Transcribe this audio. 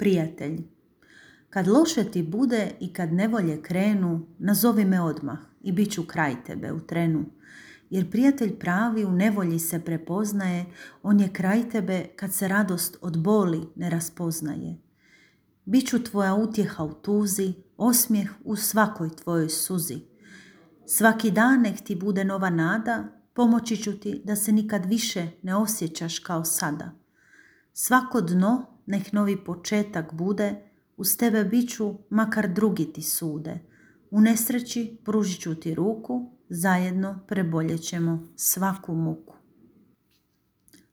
Prijatelj. Kad loše ti bude i kad nevolje krenu, nazovi me odmah i bit ću kraj tebe u trenu. Jer prijatelj pravi u nevolji se prepoznaje, on je kraj tebe kad se radost od boli ne raspoznaje. Biću tvoja utjeha u tuzi, osmijeh u svakoj tvojoj suzi. Svaki dan nek ti bude nova nada, pomoći ću ti da se nikad više ne osjećaš kao sada. Svako dno nek novi početak bude, uz tebe biću makar drugi ti sude. U nesreći pružit ću ti ruku, zajedno preboljet ćemo svaku muku.